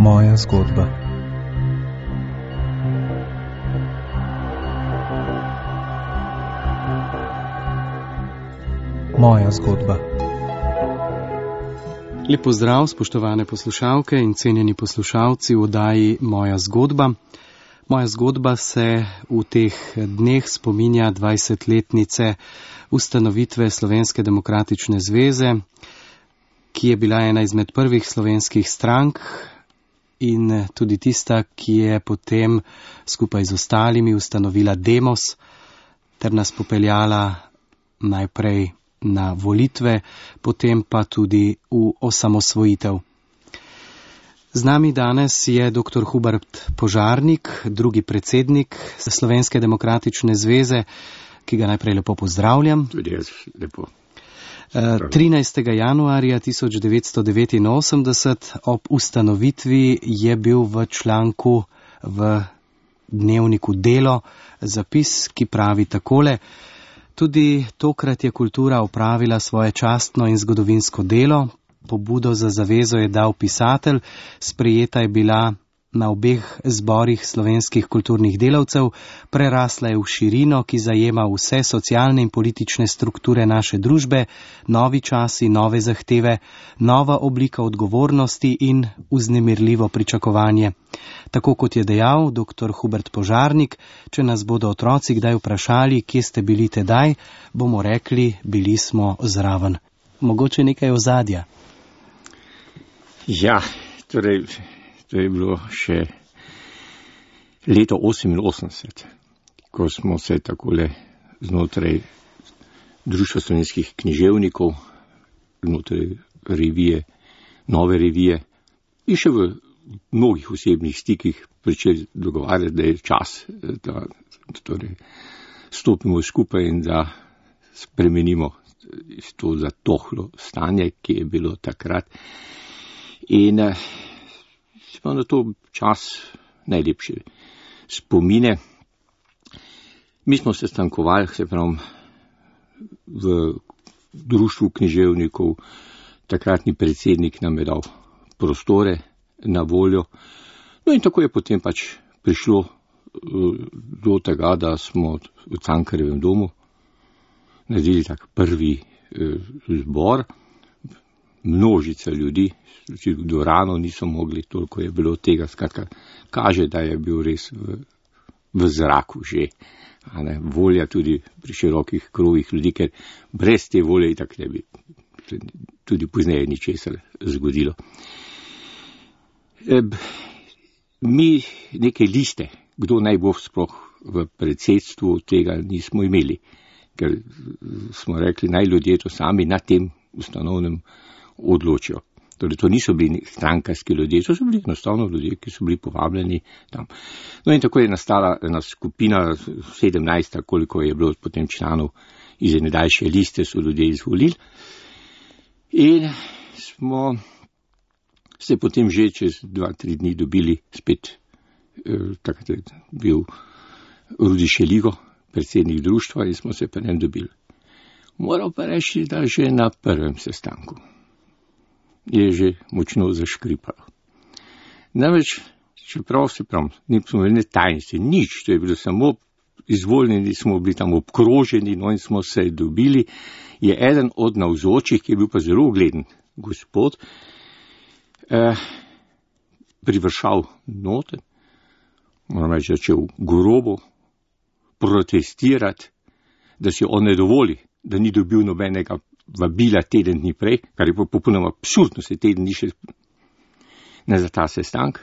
Moja zgodba. Moja zgodba. Lep pozdrav, spoštovane poslušalke in cenjeni poslušalci v oddaji Moja zgodba. Moja zgodba se v teh dneh spominja 20-letnice ustanovitve Slovenske demokratične zveze, ki je bila ena izmed prvih slovenskih strank in tudi tista, ki je potem skupaj z ostalimi ustanovila Demos ter nas popeljala najprej na volitve, potem pa tudi v osamosvojitev. Z nami danes je dr. Hubert Požarnik, drugi predsednik Slovenske demokratične zveze, ki ga najprej lepo pozdravljam. Tudi jaz lepo. 13. januarja 1989 ob ustanovitvi je bil v članku v dnevniku Delo zapis, ki pravi takole: tudi tokrat je kultura opravila svoje častno in zgodovinsko delo. Pobudo za zavezo je dal pisatelj, sprejeta je bila na obeh zborih slovenskih kulturnih delavcev, prerasla je v širino, ki zajema vse socialne in politične strukture naše družbe, novi časi, nove zahteve, nova oblika odgovornosti in vznemirljivo pričakovanje. Tako kot je dejal dr. Hubert Požarnik, če nas bodo otroci kdaj vprašali, kje ste bili tedaj, bomo rekli, bili smo zraven. Mogoče nekaj ozadja. Ja, torej, to je bilo še leto 88, ko smo se takole znotraj Društva slovenskih književnikov, znotraj revije, nove revije in še v mnogih osebnih stikih pričeli dogovarjati, da je čas, da torej stopimo skupaj in da spremenimo to zatohlo stanje, ki je bilo takrat. In smo na to čas najlepše spomine. Mi smo se stankovali, se pravi, v Društvu književnikov, takratni predsednik nam je dal prostore na voljo. No in tako je potem pač prišlo do tega, da smo v Cankarjevem domu naredili tak prvi zbor. Množica ljudi, v dvorano niso mogli, toliko je bilo tega, skratka, kaže, da je bil res v zraku že. Volja tudi pri širokih krogih ljudi, ker brez te volje itak ne bi tudi pozneje ničesar zgodilo. Mi neke liste, kdo naj bo sploh v predsedstvu, tega nismo imeli, ker smo rekli, naj ljudje to sami na tem ustanovnem odločijo. Torej, to niso bili strankarski ljudje, to so bili enostavno ljudje, ki so bili povabljeni tam. No in tako je nastala ena skupina, 17, koliko je bilo potem članov iz ene daljše liste, so ljudje izvolili. In smo se potem že čez 2-3 dni dobili spet, takrat je bil Rudi Šeligo, predsednik društva, in smo se pa njem dobili. Moral pa reči, da že na prvem sestanku je že močno zaškripalo. Namreč, čeprav se pravi, nismo imeli tajnosti, nič, to je bilo samo izvoljeni, smo bili tam obkroženi, no in smo se dobili, je eden od navzočih, ki je bil pa zelo ugleden gospod, privršal note, moram reči, začel grobo protestirati, da si on ne dovoli, da ni dobil nobenega vabila teden dni prej, kar je pa popolnoma absurdno, se teden dni še ne za ta sestank.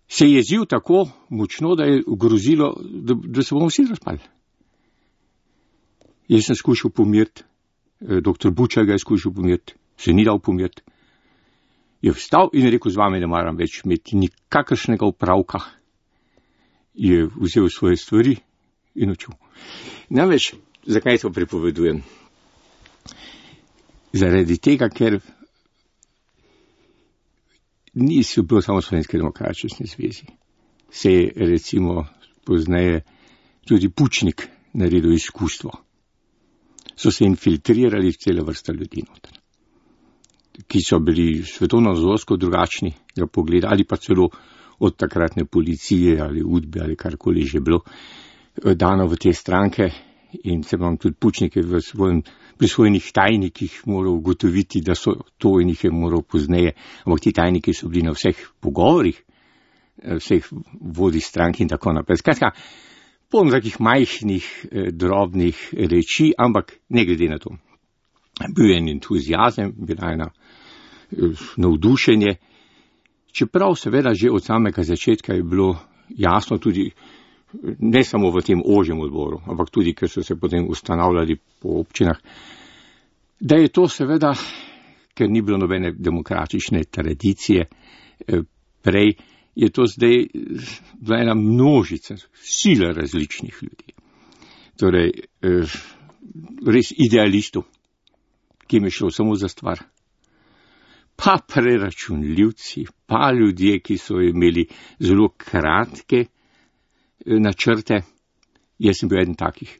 Se je jezil tako močno, da je grozilo, da se bomo vsi razpali. Jaz sem skušal pomiriti, dr. Bučar ga je skušal pomiriti, se ni dal pomiriti. Je vstal in rekel, z vami ne maram več imeti nikakršnega opravka. Je vzel svoje stvari in odšel. Namreč, zakaj to pripovedujem? Zaradi tega, ker niso bilo samo Slovenske demokratične zvezi. Se je recimo pozneje tudi Pučnik naredil izkustvo. So se infiltrirali cela vrsta ljudi noter. ki so bili svetovno-nazorsko drugačnega pogleda ali pa celo od takratne policije ali udbe ali karkoli že bilo dano v te stranke. In se vam tudi Pučnik je pri svojih tajnikih moral ugotoviti, da so to in jih je moral pozneje, ampak ti tajniki so bili na vseh pogovorih, vseh vodij strank in tako naprej. Skratka, polno takih majhnih, drobnih reči, ampak ne glede na to. Bil je en entuzijazem, bila ena navdušenje, čeprav seveda že od samega začetka je bilo jasno tudi, ne samo v tem ožjem odboru, ampak tudi, ker so se potem ustanavljali po občinah, da je to seveda, ker ni bilo nobene demokratične tradicije prej, je to zdaj bila ena množica, sila različnih ljudi. Torej, res idealistov, ki jim je šlo samo za stvar. Pa preračunljivci, pa ljudje, ki so imeli zelo kratke načrte. Jaz sem bil eden takih.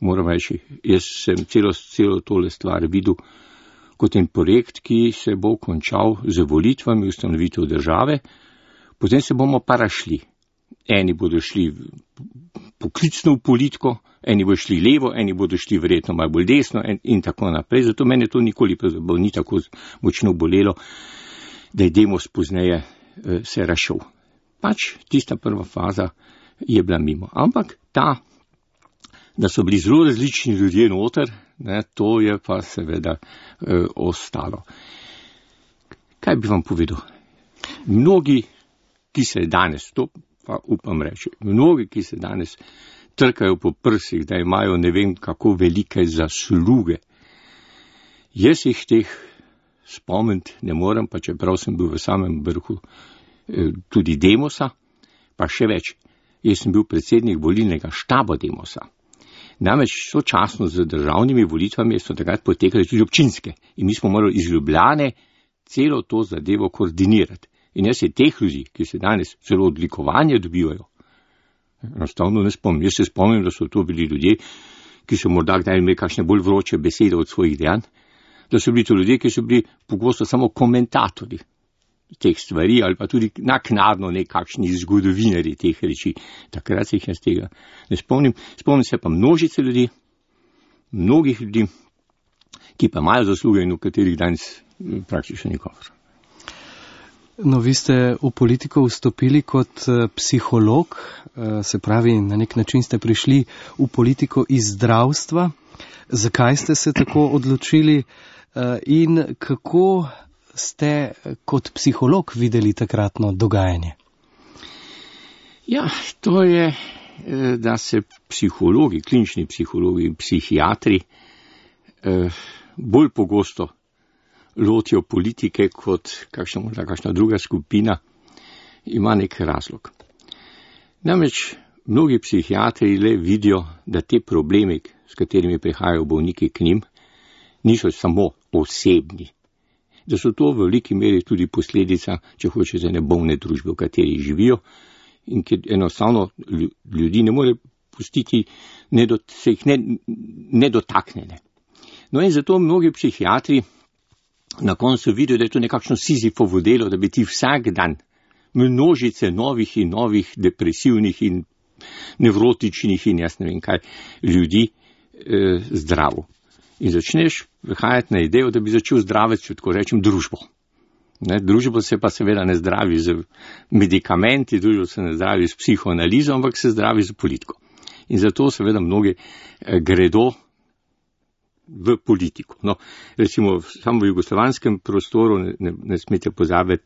Moram reči, jaz sem celo tole stvar videl kot en projekt, ki se bo končal z volitvami, ustanovitev države, potem se bomo pa rašli. Eni bodo šli poklicno v politiko, eni bodo šli levo, eni bodo šli verjetno malo bolj desno in tako naprej. Zato mene to nikoli ni tako močno bolelo, da je Demos pozneje se rašel. Pač tista prva faza je bila mimo. Ampak da so bili zelo različni ljudje noter, to je pa seveda ostalo. Kaj bi vam povedal? Mnogi, ki se danes, to pa upam reči, mnogi, ki se danes trkajo po prsih, da imajo ne vem kako velike zasluge. Jaz jih teh spomniti ne morem, pa čeprav sem bil v samem vrhu tudi Demosa, pa še več, jaz sem bil predsednik volilnega štaba Demosa. Namreč sočasno z državnimi volitvami so takrat potekale tudi občinske in mi smo morali iz Ljubljane celo to zadevo koordinirati. In jaz se teh ljudi, ki se danes celo odlikovanje dobivajo, enostavno ne spomnim. Jaz se spomnim, da so to bili ljudje, ki so morda kdaj imeli kakšne bolj vroče besede od svojih dejanj, da so bili to ljudje, ki so bili pogosto samo komentatorji teh stvari ali pa tudi naknadno nekakšni zgodovinarji teh reči. Takrat se jih jaz tega ne spomnim. Spomnim se pa množice ljudi, mnogih ljudi, ki pa imajo zasluge in v katerih danes praktično nikogar. No, vi ste v politiko vstopili kot psiholog, se pravi, na nek način ste prišli v politiko iz zdravstva. Zakaj ste se tako odločili in kako ste kot psiholog videli takratno dogajanje? Ja, to je, da se psihologi, klinični psihologi in psihiatri bolj pogosto lotijo politike kot kakšna druga skupina, ima nek razlog. Namreč mnogi psihiatri le vidijo, da te problemi, s katerimi prihajajo bolniki k njim, niso samo osebni, da so to v veliki meri tudi posledica, če hočete, ne bolne družbe, v kateri živijo in ker enostavno ljudi ne more pustiti, se jih ne dotaknjene. No in zato mnogi psihiatri na koncu vidijo, da je to nekakšno Sizifovo delo, da bi ti vsak dan množice novih in novih depresivnih in nevrotičnih in jaz ne vem kaj ljudi zdravo. In začneš prihajati na idejo, da bi začel zdraviti, če tako rečem, družbo. Družbo se pa seveda ne zdravi z medikamenti, družbo se ne zdravi s psihoanalizo, ampak se zdravi z politiko. In zato seveda mnogi gredo v politiko. No, recimo samo v jugoslovanskem prostoru ne smete pozabiti,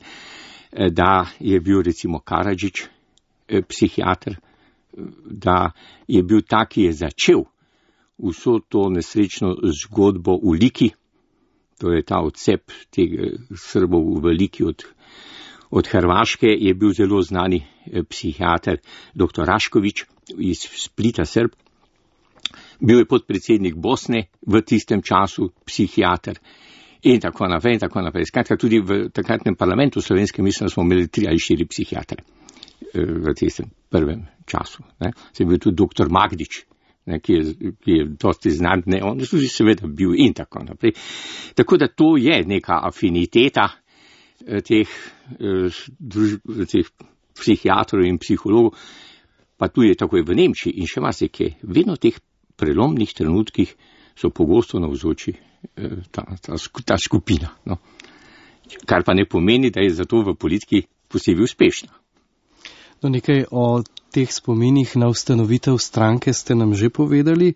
da je bil recimo Karadžić psihiater, da je bil tak, ki je začel vso to nesrečno zgodbo v Liki, to je ta odcep teh Srbov v Liki od Hrvaške, je bil zelo znani psihiater dr. Rašković iz Splita, Srb. Bil je podpredsednik Bosne v tistem času, psihiater in tako naprej in tako naprej. Skratka, tudi v takratnem parlamentu slovenskem mislim, da smo imeli 3 ali 4 psihiatre v tistem prvem času. Se je bil tudi dr. Magdič, ne, ki je dosti znan, ne, on je tudi seveda bil in tako naprej. Tako da to je neka afiniteta teh psihiatrov in psihologov, pa tudi tako je v Nemčiji in še marsikje. Vedno v teh prelomnih trenutkih so pogosto navzoči ta skupina. No. Kar pa ne pomeni, da je zato v politiki posebej uspešna. No, nekaj o teh spominih na ustanovitev stranke ste nam že povedali,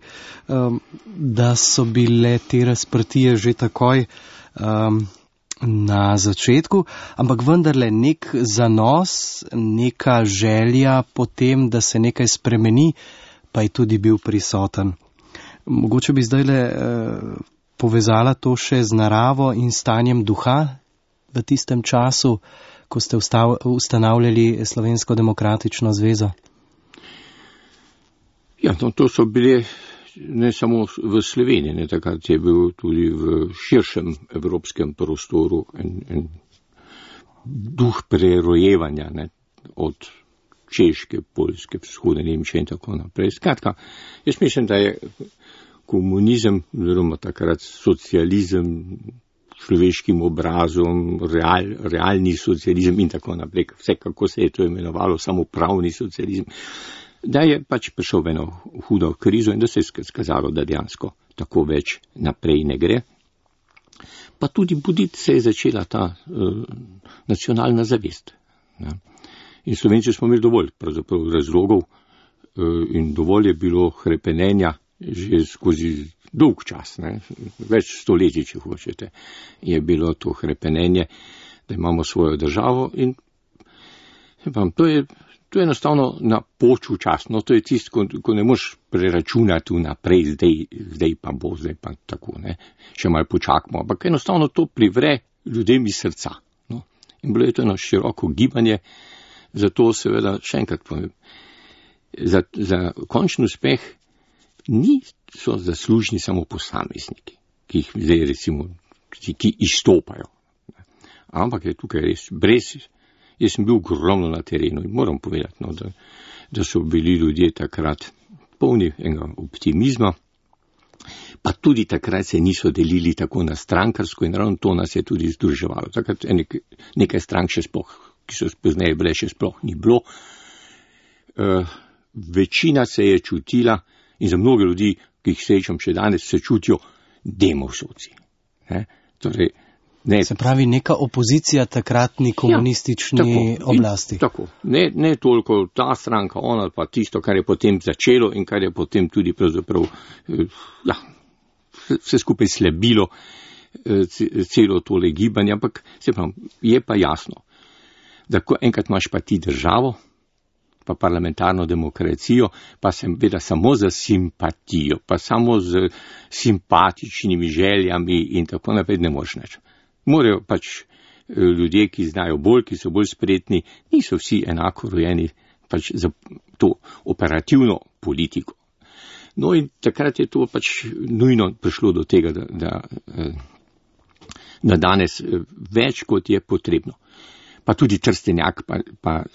da so bile te razprtije že takoj na začetku, ampak vendarle nek zanos, neka želja potem, da se nekaj spremeni, pa je tudi bil prisoten. Mogoče bi zdajle povezala to še z naravo in stanjem duha v tistem času, ko ste ustanavljali Slovensko demokratično zvezo? Ja, no, to so bile ne samo v Sloveniji, ne, takrat je bil tudi v širšem evropskem prostoru en duh prerojevanja, ne, od Češke, Poljske, vzhodne Nemčije in tako naprej. Skratka, jaz mislim, da je komunizem, oziroma takrat socializem, človeškim obrazom, realni socializem in tako naprej, vse kako se je to imenovalo, samo pravni socializem, da je pač prišel v eno hudo krizo in da se je skazalo, da dejansko tako več naprej ne gre. Pa tudi buditi se je začela ta nacionalna zavest. Ne. In Slovenci smo imeli dovolj pravzaprav razlogov in dovolj je bilo hrepenenja že skozi dolg čas, ne, več stoletij, če hočete, je bilo to hrepenenje, da imamo svojo državo in to je enostavno napočil čas, no to je tisto, ko ne moš preračunati vnaprej, zdaj pa bo, zdaj pa tako, ne, še malo počakamo, ampak enostavno to privre ljudem iz srca, no, in bilo je to eno široko gibanje, zato seveda še enkrat povem, za končni uspeh niso zaslužni samo posamezniki, ki jih zdaj recimo, ki izstopajo. Ampak je tukaj res jaz sem bil ogromno na terenu in moram povedati, no, da so bili ljudje takrat polni enega optimizma, pa tudi takrat se niso delili tako na strankarsko in ravno to nas je tudi združevalo. Takrat nekaj strank še sploh, ki so pozneje bile, še sploh ni bilo. Večina se je čutila in za mnoge ljudi, ki jih srečam še danes, se čutijo demovsovci. Torej, se pravi, neka opozicija takratni komunistični oblasti. Tako. Ne toliko ta stranka, ona pa tisto, kar je potem začelo in kar je potem tudi pravzaprav vse skupaj slabilo celo tole gibanje, ampak se pravi, je pa jasno, da ko enkrat imaš pa ti državo, pa parlamentarno demokracijo, pa seveda samo za simpatijo, pa samo z simpatičnimi željami in tako naprej ne moreš nič. Morajo pač ljudje, ki znajo bolj, ki so bolj spretni, niso vsi enako rojeni pač za to operativno politiko. No in takrat je to pač nujno prišlo do tega, da danes več kot je potrebno. Pa tudi Trstenjak, pa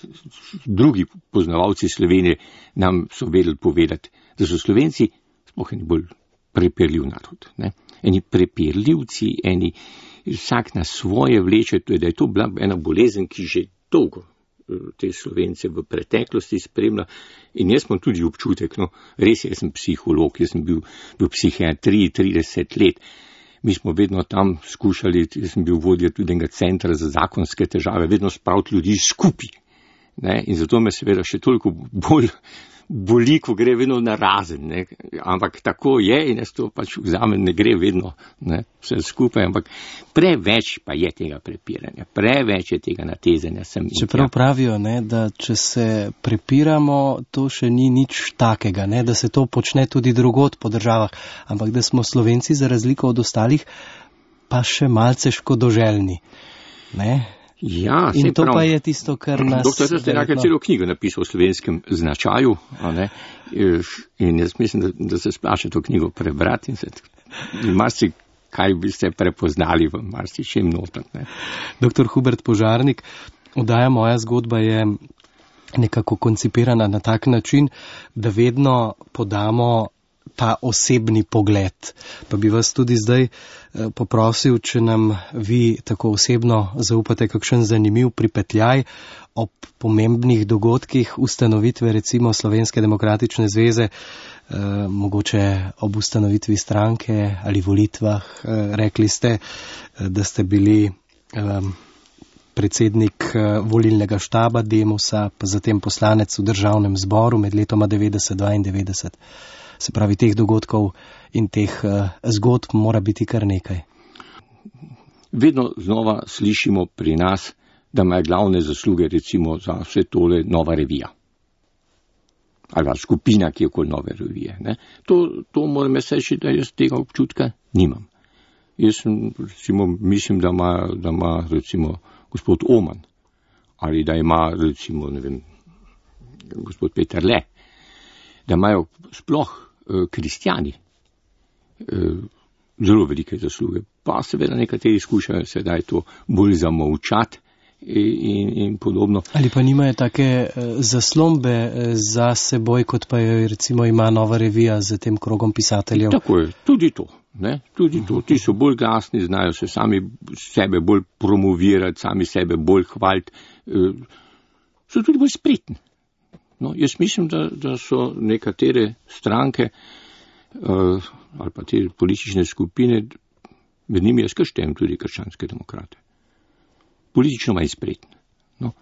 drugi poznavalci Slovenije nam so vedeli povedati, da so Slovenci sploh eni bolj prepirljiv narod. Ne? Eni prepirljivci, vsak na svoje vleče, da je to bila ena bolezen, ki že dolgo te Slovence v preteklosti spremlja. In jaz imam tudi občutek, no, res jaz sem psiholog, jaz sem bil v psihiatriji 30 let. Mi smo vedno tam skušali, jaz sem bil vodja tudi enega centra za zakonske težave, vedno spraviti ljudi skupaj. In zato me seveda še toliko bolj boli, ko gre vedno narazen. Ne? Ampak tako je in jaz to pač vzamem, ne gre vedno vse skupaj, ampak preveč pa je tega prepiranja, preveč je tega natezanja. Čeprav pravijo, da če se prepiramo, to še ni nič takega, da se to počne tudi drugod po državah, ampak da smo Slovenci za razliko od ostalih pa še malce škodoželjni. Ja, in to pa je tisto, kar nas... Doktor Trstenjak je celo knjigo napisal o slovenskem značaju, in jaz mislim, da se splača to knjigo prebrati in marsi kaj bi ste prepoznali v marsi čem noter. Doktor Hubert Požarnik, oddaja Moja zgodba je nekako koncipirana na tak način, da vedno podamo ta osebni pogled. Pa bi vas tudi zdaj poprosil, če nam vi tako osebno zaupate kakšen zanimiv pripetljaj ob pomembnih dogodkih ustanovitve recimo Slovenske demokratične zveze, mogoče ob ustanovitvi stranke ali volitvah. Rekli ste, da ste bili predsednik volilnega štaba Demosa, pa zatem poslanec v državnem zboru med letoma 90 in 92. Se pravi, teh dogodkov in teh zgodb mora biti kar nekaj. Vedno znova slišimo pri nas, da ima glavne zasluge recimo za vse tole Nova revija. Ali pa skupina, ki je okoli Nove revije. Ne? To moram jaz reči, da jaz tega občutka nimam. Jaz recimo mislim, da ima recimo gospod Oman, ali da ima recimo, ne vem, gospod Peterle, da imajo sploh kristjani zelo velike zasluge. Pa seveda nekateri skušajo sedaj to bolj zamolčati in podobno. Ali pa nimajo take zaslombe za seboj, kot pa jo recimo ima Nova revija z tem krogom pisateljev? Tako je, tudi to. Ne? Tudi to. Ti so bolj glasni, znajo se sami sebe bolj promovirati, sami sebe bolj hvaliti, so tudi bolj spretni. No, jaz mislim, da so nekatere stranke ali pa te politične skupine, med njimi jaz štejem tudi krščanske demokrate, politično manj spretni. No,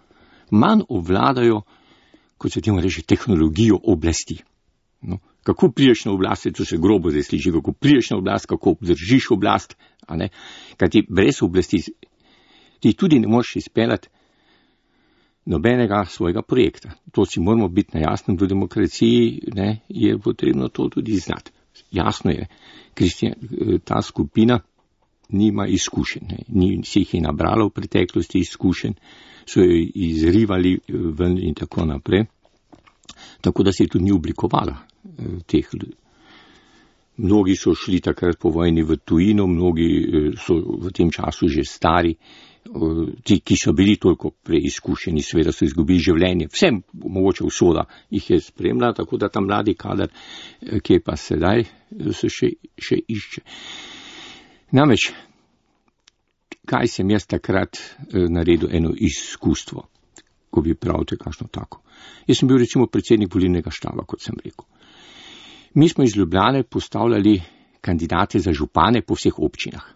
manj obvladajo, kot se temu reče, tehnologijo oblasti. No, kako priješ na oblast, to se grobo zdaj sliši, kako priješ na oblast, kako obdržiš oblast, a ne, kaj ti brez oblasti ti tudi ne moreš izpeljati nobenega svojega projekta. To si moramo biti na jasnem, v demokraciji ne, je potrebno to tudi znati. Jasno je, ta skupina nima izkušenj, ni se jih je nabrala v preteklosti izkušenj, so jo izrivali ven in tako naprej, tako da se je tudi ni oblikovala teh ljudi. Mnogi so šli takrat po vojni v tujino, mnogi so v tem času že stari, ti, ki so bili toliko preizkušeni, seveda so izgubili življenje. Vsem mogoče usoda jih je spremljala, tako da ta mladi kader, ki je pa sedaj, se še išče. Namreč, kaj sem jaz takrat naredil eno izkustvo, ko bi pravite kakšno tako. Jaz sem bil recimo predsednik volilnega štaba, kot sem rekel. Mi smo iz Ljubljane postavljali kandidate za župane po vseh občinah.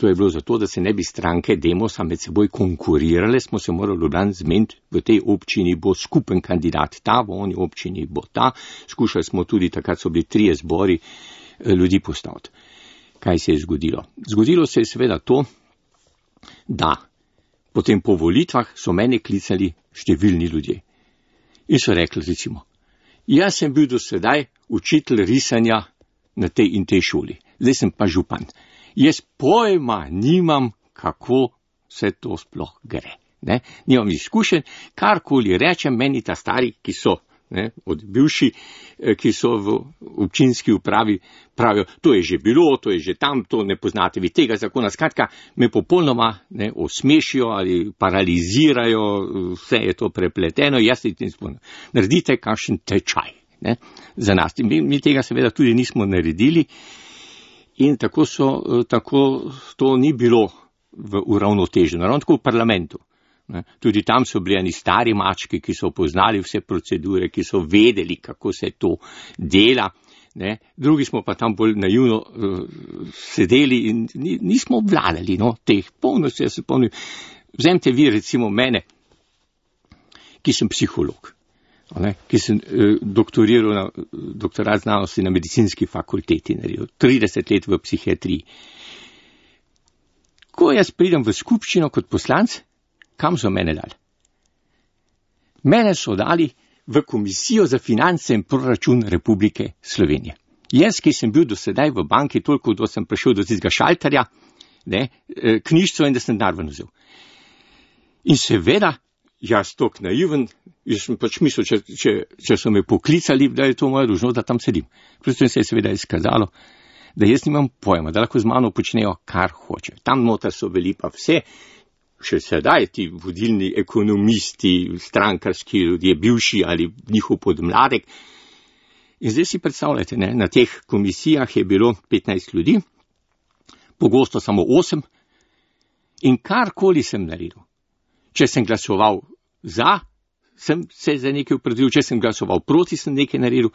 To je bilo zato, da se ne bi stranke Demosa med seboj konkurirale, smo se morali Ljubljani zmeniti, v tej občini bo skupen kandidat ta, v oni občini bo ta. Skušali smo tudi, takrat so bili 3 zbori ljudi postaviti. Kaj se je zgodilo? Zgodilo se je seveda to, da potem po volitvah so mene klicali številni ljudje. In so rekli recimo, jaz sem bil do sedaj učitelj risanja na tej in tej šoli, zdaj sem pa župan. Jaz pojma nimam, kako se to sploh gre. Ne? Nimam izkušenj, karkoli rečem, meni ta stari, ki so, ne, od bivši, ki so v občinski upravi, pravijo, to je že bilo, to je že tam, to ne poznate vi tega zakona. Skratka, me popolnoma osmešijo ali paralizirajo, vse je to prepleteno, jaz se tem spomnim. Naredite kakšen tečaj, ne, za nas. Mi tega seveda tudi nismo naredili. In tako to ni bilo uravnoteženo, ravno tako v parlamentu. Ne. Tudi tam so bili eni stari mački, ki so poznali vse procedure, ki so vedeli, kako se to dela. Ne. Drugi smo pa tam bolj naivno sedeli in nismo obvladali teh polnosti. Jaz se spomnim, vzemite vi recimo mene, ki sem psiholog. Ki sem doktoriral na doktorat znanosti na medicinski fakulteti, naredil 30 let v psihiatriji. Ko jaz pridem v skupščino kot poslanec, kam so mene dali? Mene so dali v Komisijo za finance in proračun Republike Slovenije. Jaz, ki sem bil do sedaj v banki, toliko, da sem prišel do tistega šalterja, knjižico in da sem denar ven vzel. In seveda, jaz tok naiven, jaz sem pač mislil, če so me poklicali, da je to moja dolžnost, da tam sedim. Prosto se je seveda izkazalo, da jaz nimam pojma, da lahko z mano počnejo, kar hoče. Tam noter so bili pa vse, še sedaj ti vodilni ekonomisti, strankarski ljudje, bivši ali njihov podmladek. In zdaj si predstavljate, ne, na teh komisijah je bilo 15 ljudi, pogosto samo 8, in karkoli sem naredil. Če sem glasoval za, sem se za nekaj opredelil, če sem glasoval proti, sem nekaj naredil,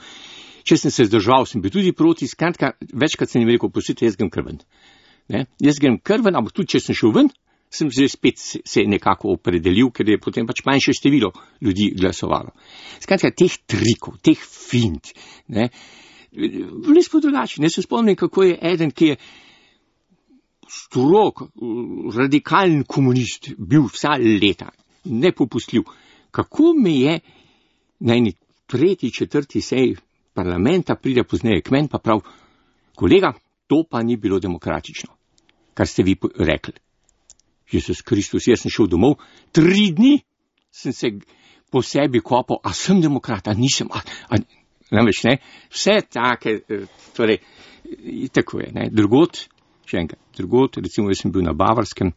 če sem se zdržal, sem bil tudi proti, skratka, večkrat sem jim rekel, pustite, jaz grem krven. Ne? Jaz grem krven, ampak tudi če sem šel ven, sem že spet se nekako opredelil, ker je potem pač manjše število ljudi glasovalo. Skratka, teh trikov, teh fint, ne, bili smo drugačni. Ne se spomnim, kako je eden, ki je strog, radikalen komunist, bil vsa leta, nepopustljiv. Kako me je na eni 3., 4. seji parlamenta pride pozneje k meni pa prav, kolega, to pa ni bilo demokratično, kar ste vi rekli. Jezus Kristus, jaz sem šel domov, 3 dni sem se po sebi kopal, a sem demokrat, a nisem, namreč ne, vse take, torej, tako je, ne, drugod, še enkrat, drugod, recimo jaz sem bil na Bavarskem,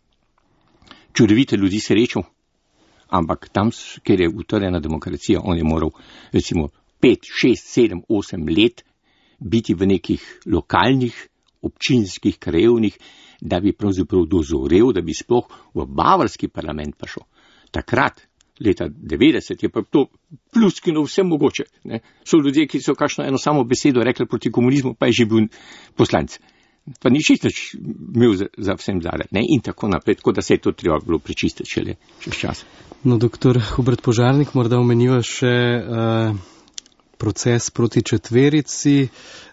čudovite ljudi srečal, ampak tam, kjer je utrjena demokracija, on je moral, recimo, 5, 6, 7, 8 let biti v nekih lokalnih, občinskih, krajevnih, da bi pravzaprav dozorel, da bi sploh v bavarski parlament prišel. Takrat, leta 90, je pa to pluskino vse mogoče. Ne? So ljudje, ki so kakšno eno samo besedo rekli proti komunizmu, pa je že bil poslanec. Pa ni čisto imel za vsem zadaj. In tako naprej, tako da se je to treba bilo prečistiti šele čez čas. No, doktor Hubert Požarnik, morda omeniva še proces proti četverici.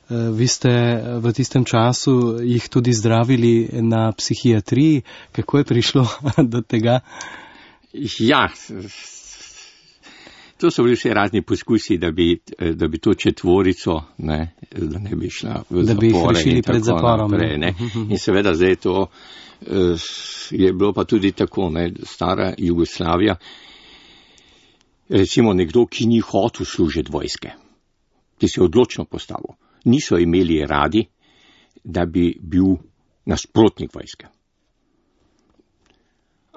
Vi ste v tistem času jih tudi zdravili na psihiatriji. Kako je prišlo do tega? Ja, to so bili vse razni poskusi, da bi to četvorico, ne, da ne bi šla v zapore. Da bi jih rešili pred zaporom. Naprej, ne. In seveda zdaj to je bilo pa tudi tako, ne, stara Jugoslavija. Recimo nekdo, ki ni hotel služiti vojske, ki se je odločno postavil, niso imeli radi, da bi bil nasprotnik vojske.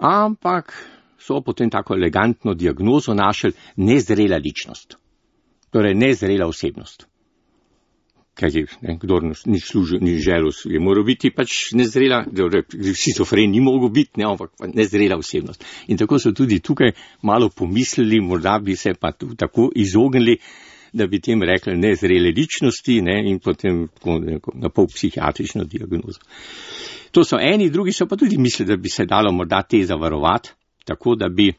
Ampak so potem tako elegantno diagnozo našli nezrela ličnost. Torej nezrela osebnost. Kaj je, kdor ni služil, ni želel, je moral biti pač nezrela, šizofren ni mogel biti, ampak nezrela osebnost. In tako so tudi tukaj malo pomislili, morda bi se pa tako izognili, da bi tem rekli nezrele ličnosti, ne, in potem na pol psihiatrično diagnozo. To so eni, drugi so pa tudi mislili, da bi se dalo morda te zavarovati, tako da bi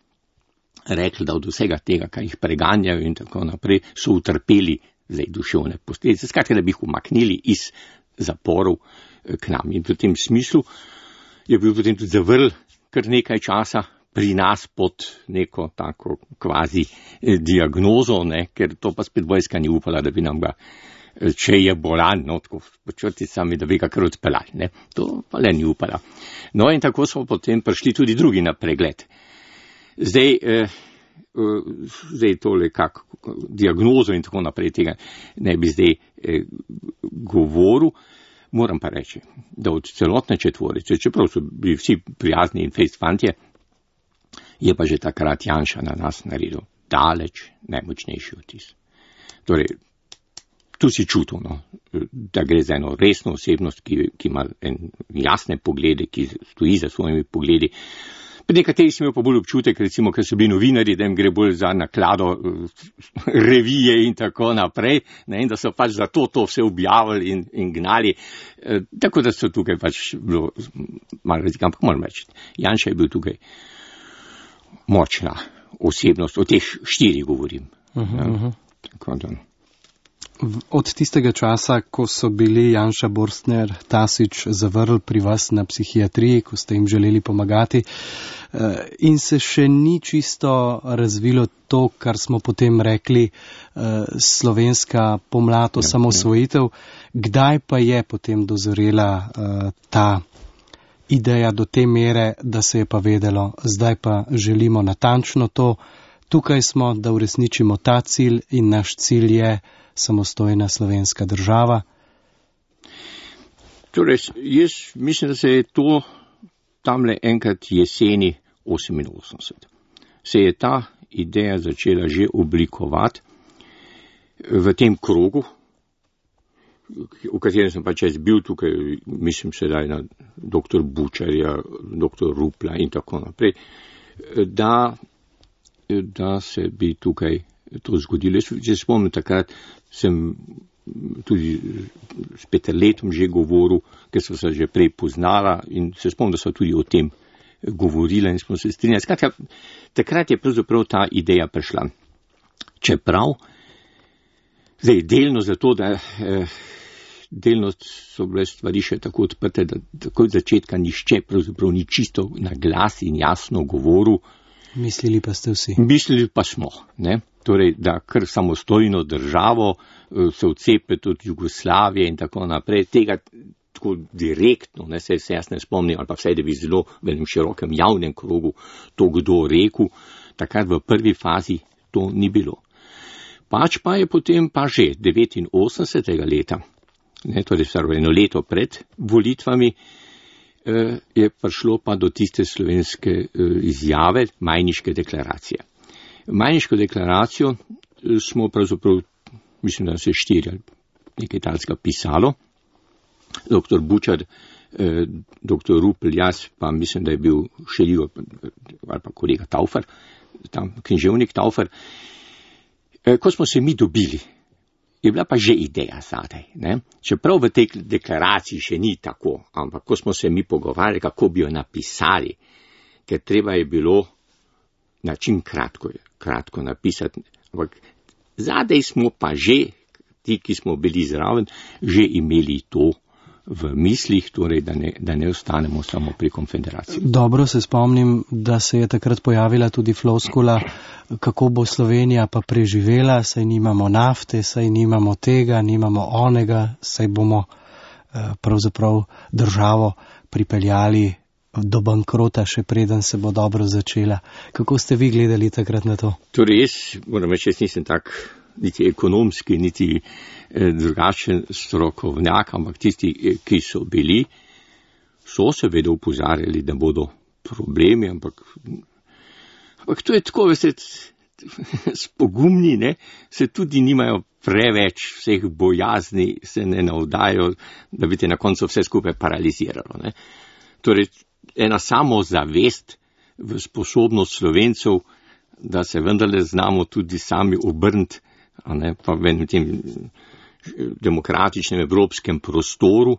rekli, da od vsega tega, kar jih preganjajo in tako naprej, so utrpeli zdaj duševne posledice, skratka, da bi jih umaknili iz zaporov k nam. In v tem smislu je bil potem tudi zavrl kar nekaj časa pri nas pod neko tako kvazi diagnozo, ne, ker to pa spet vojska ni upala, da bi nam ga, če je bolan, no, tako počrti sami, da bi ga kar odpeljali, ne, to pa le ni upala. No in tako smo potem prišli tudi drugi na pregled. Zdaj tole kako diagnozo in tako naprej tega ne bi zdaj govoril, moram pa reči, da od celotne četvorice, čeprav so bili vsi prijazni in fejst fantje, je pa že takrat Janša na nas naredil daleč najmočnejši vtis. Torej, tu si čutil, no, da gre za eno resno osebnost, ki ima jasne poglede, ki stoji za svojimi pogledi. Pri nekaterih sem imel pa bolj občutek, recimo, ker so bili novinari, da jim gre bolj za naklado revije in tako naprej, ne, in da so pač za to vse objavili in gnali. Tako da so tukaj pač bilo malo razlika, ampak moram reči, Janša je bil tukaj močna osebnost, o teh 4 govorim. Tako da. Od tistega časa, ko so bili Janša, Borstner, Tasić zavrl pri vas na psihiatriji, ko ste jim želeli pomagati, in se še ni čisto razvilo to, kar smo potem rekli, slovenska pomlad, osamosvojitev, kdaj pa je potem dozorela ta ideja do te mere, da se je pa vedelo, zdaj pa želimo natančno to, tukaj smo, da uresničimo ta cilj in naš cilj je samostojna slovenska država? Torej, jaz mislim, da se je to tamle enkrat jeseni 88. Se je ta ideja začela že oblikovati. v tem krogu, v katerem sem pač jaz bil tukaj, mislim sedaj na dr. Bučarja, dr. Rupla in tako naprej, da se bi tukaj to zgodilo. Če spomnim, takrat sem tudi s Peterletom že govoril, ker so se že prej poznala in se spomnim, da so tudi o tem govorila in smo se strinjali. Skratka, takrat je pravzaprav ta ideja prišla. Čeprav, zdaj delno zato, da delno so bile stvari še tako odprte, da tako od začetka nišče pravzaprav ni čisto na glas in jasno govoril. Mislili pa ste vsi. Mislili pa smo, ne? Torej, da kar samostojno državo se odcepiti od Jugoslavije in tako naprej, tega tako direktno, ne, se jaz ne spomnim, ali pa vsaj, da bi zelo v enem širokem javnem krogu to kdo rekel, takrat v prvi fazi to ni bilo. Pač pa je potem pa že 89. leta, ne, torej eno leto pred volitvami, je prišlo pa do tiste slovenske izjave, Majniške deklaracije. Majniško deklaracijo smo pravzaprav, mislim, da se 4 ali nekaj talska pisalo, dr. Bučar, dr. Rupl, jaz pa mislim, da je bil Šeligo ali pa kolega Taufer, tam književnik Taufer. Ko smo se mi dobili, je bila pa že ideja zadaj, ne? Čeprav v tej deklaraciji še ni tako, ampak ko smo se mi pogovarjali, kako bi jo napisali, ker treba je bilo na čim kratko napisati, ampak zadaj smo pa že, ti, ki smo bili zraven, že imeli to v mislih, torej, da ne ostanemo samo pri konfederaciji. Dobro se spomnim, da se je takrat pojavila tudi floskula, kako bo Slovenija pa preživela, saj nimamo nafte, saj nimamo tega, nimamo onega, saj bomo pravzaprav državo pripeljali do bankrota, še preden se bo dobro začela. Kako ste vi gledali takrat na to? Torej, jaz moram reči, jaz nisem tak niti ekonomski, niti drugačen strokovnjak, ampak tisti, ki so bili, so seveda upozarjali, da bodo problemi, ampak to je tako, veste, spogumni, ne, se tudi nimajo preveč vseh bojazni, se ne navdajo, da bi te na koncu vse skupaj paraliziralo, ne. Torej, ena samozavest v sposobnost Slovencev, da se vendarle znamo tudi sami obrniti, a ne, pa v enem tem demokratičnem evropskem prostoru,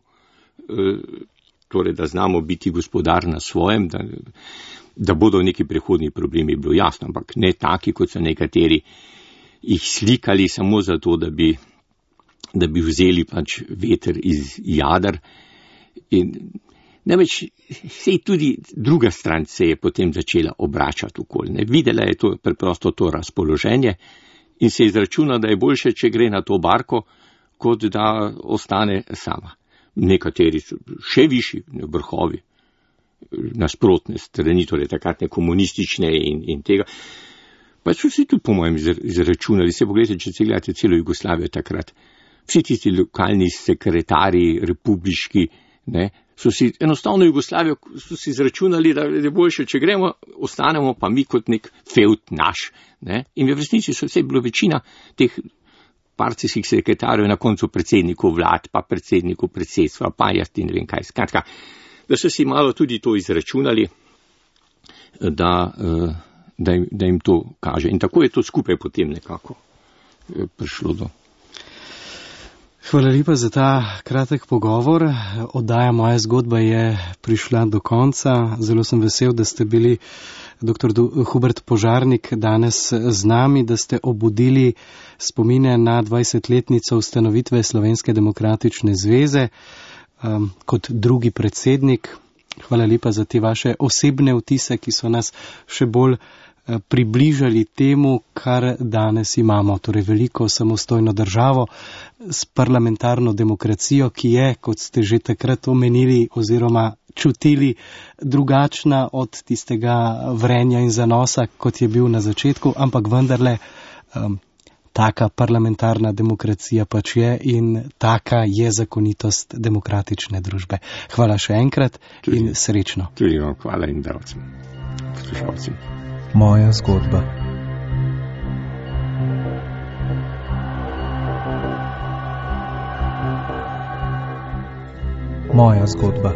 torej, da znamo biti gospodar na svojem, da bodo neki prehodni problemi, bilo jasno, ampak ne taki, kot so nekateri jih slikali samo zato, da bi vzeli pač veter iz jader. In namreč sej tudi druga stran se je potem začela obračati okoli. Ne. Videla je to preprosto to razpoloženje in se izračuna, da je boljše, če gre na to barko, kot da ostane sama. Nekateri so še višji vrhovi, nasprotne strani, torej takratne komunistične in tega. Pa so si tudi po mojem izračunali, se pogledajte, če se gledate celo Jugoslavijo takrat, vsi tisti lokalni sekretarji, republiški, ne, so si enostavno Jugoslavijo so si izračunali, da je boljše, če gremo, ostanemo pa mi kot nek feud naš, ne, in v resnici so vse bilo večina teh partijskih sekretarjev na koncu predsednikov vlad, pa predsednikov predsedstva, pa jaz in ne vem kaj. Skratka, da so si malo tudi to izračunali, da jim to kaže. In tako je to skupaj potem nekako prišlo do. Hvala lepa za ta kratek pogovor. Oddaja Moja zgodba je prišla do konca. Zelo sem vesel, da ste bili dr. Hubert Požarnik danes z nami, da ste obudili spomine na 20-letnico ustanovitve Slovenske demokratične zveze kot drugi predsednik. Hvala lepa za te vaše osebne vtise, ki so nas še bolj približali temu, kar danes imamo, torej veliko samostojno državo s parlamentarno demokracijo, ki je, kot ste že takrat omenili oziroma čutili, drugačna od tistega vrenja in zanosa, kot je bil na začetku, ampak vendarle taka parlamentarna demokracija pač je in taka je zakonitost demokratične družbe. Hvala še enkrat in srečno. Tudi vam hvala in davcem, poslušalcem. Moja zgodba. Moja zgodba.